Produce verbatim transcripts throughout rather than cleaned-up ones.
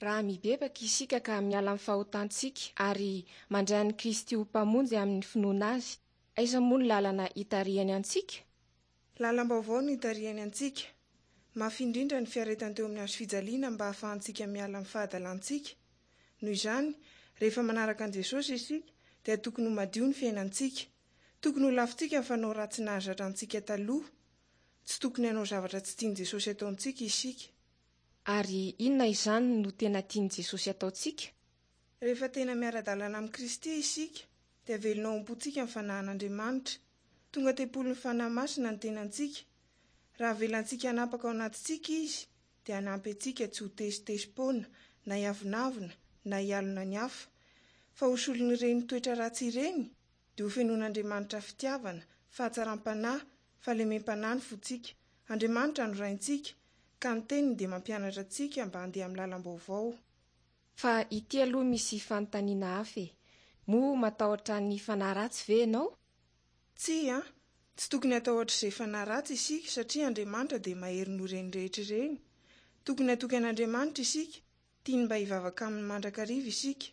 Raha mibebaka isika ka miala amin'ny fahotantsika ary mandray an'i Kristy ho Mpamonjy amin'ny finoana Azy, aiza moa ny lalana hitarihany antsika? Lalam-baovao no hitarihany antsika. Mafy indrindra ny fiaretany teo amin'ny hazo fijaliana mba hahafahantsika miala amin'ny fahadalantsika. Noho izany, rehefa manaraka an'i Jesosy isika, dia tokony ho madio ny fiainantsika. Tokony ho lavintsika ny fanao ratsy nahazatra antsika taloha. Tsy tokony hanao zavatra tsy tian'i Jesosy ataontsika isika. Ary inona izany no tena tian'i Jesosy ataontsika? Rehefa tena miara-dalana amin'i Kristy isika, dia velona ao am-pontsika ny fanahin'Andriamanitra. Tonga tempolin'ny Fanahy Masina ny tenantsika. Raha avelantsika hanapaka ao anatintsika Izy, dia hanampy antsika tsy ho tezitezi-poana, na hiavonavona, na hialona ny hafa. Fa ho solon'ireny toetra ratsy ireny, dia hofenoin'Andriamanitra fitiavana, fahatsaram-panahy, fahalemem-panahy ny fontsika. Andriamanitra no Raintsika, ka ny teniny dia mampianatra antsika mba handeha amin'ny lalam-baovao. Fa ity aloha misy fanontaniana hafa e. Moa matahotra ny fanahy ratsy ve ianao? Tsia, tsy tokony hatahotra izay fanahy ratsy isika satria Andriamanitra dia mahery noho ireny rehetra ireny. Tokony hatoky an'Andriamanitra isika, tiany mba hivavaka aminy mandrakariva isika.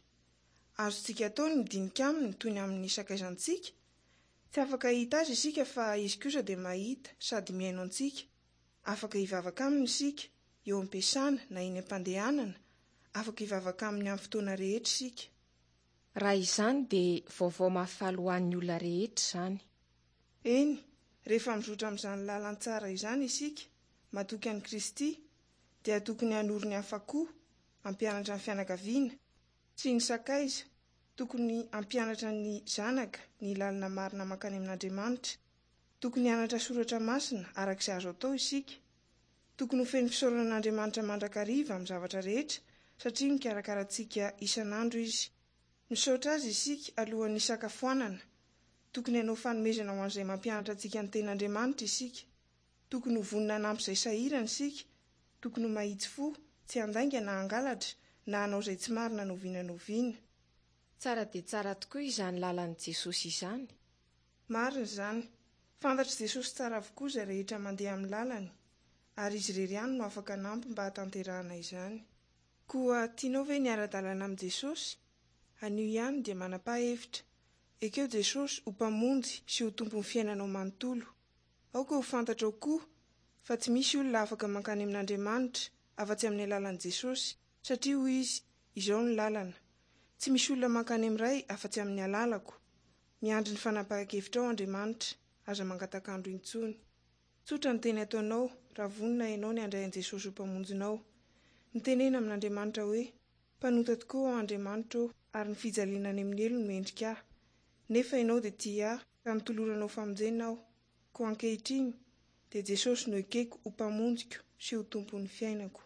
Azontsika atao ny midinika aminy toy ny amin'ny sakaizantsika. Tsy afaka hahita azy isika fa izy kosa dia mahita sady mihaino antsika. Afaka hivavaka aminy isika, eo am-piasana na eny am-pandehanana, afaka hivavaka aminy amin'ny fotoana rehetra isika. Raha izany dia vaovao mahafaly ho an'ny olona rehetra izany. Eny, rehefa mizotra amin'izany lalan-tsara izany isika, matoky an'i Kristy, dia tokony hanoro ny hafa koa, hampianatra ny fianakaviana sy ny sakaiza, tokony hampianatra ny zanaka ny lalana marina mankany amin'Andriamanitra. Tokony hianatra soratra masina araka izay azo atao isika. Tokony ho feno fisaorana an'Andriamanitra mandrakariva amin'ny zavatra rehetra satria mikarakara antsika isan'andro Izy. Misaotra Azy isika alohan'ny hisakafoanana. Tokony hanao fanomezana ho an'izay mampianatra antsika ny tenin'Andriamanitra isika. Tokony ho vonona hanampy izay sahirana isika. Tokony ho mahitsy fo, tsy handainga na hangalatra na hanao izay tsy marina na oviana na oviana. Tsara dia tsara tokoa izany lalan'i Jesosy izany. Marina izany. Fantatr'i Jesosy tsara avokoa izay rehetra mandeha amin'ny lalany, ary Izy irery ihany no afaka hanampy mba hahatanterahana izany. Koa tianao ve ny hiara-dalana amin'i Jesosy? Anio ihany dia manapaha hevitra. Ekeo Jesosy ho Mpamonjy sy ho Tompon'ny fiainanao manontolo. Aoka ho fantatrao koa fa tsy misy olona afaka mankany amin'Andriamanitra afa-tsy amin'ny alalan'i Jesosy, satria hoy Izy, Izao ny lalana. Tsy misy olona mankany amin'ny Ray afa-tsy amin'ny alalako. Miandry ny fanapahan-kevitrao Andriamanitra, aza mangatak'andro intsony. Tsotra ny teny ataonao raha vonona ianao ny handray an'i Jesosy ho Mpamonjinao. Mitenena amin'Andriamanitra hoe, Mpanota tokoa aho Andriamanitra ô, ary ny fijaliana any amin'ny helo no mendrika ahy. Nefa ianao dia tia ahy, ka notoloranao famonjena aho. Koa ankehitriny, dia Jesosy no ekeko ho Mpamonjiko sy ho Tompon'ny fiainako.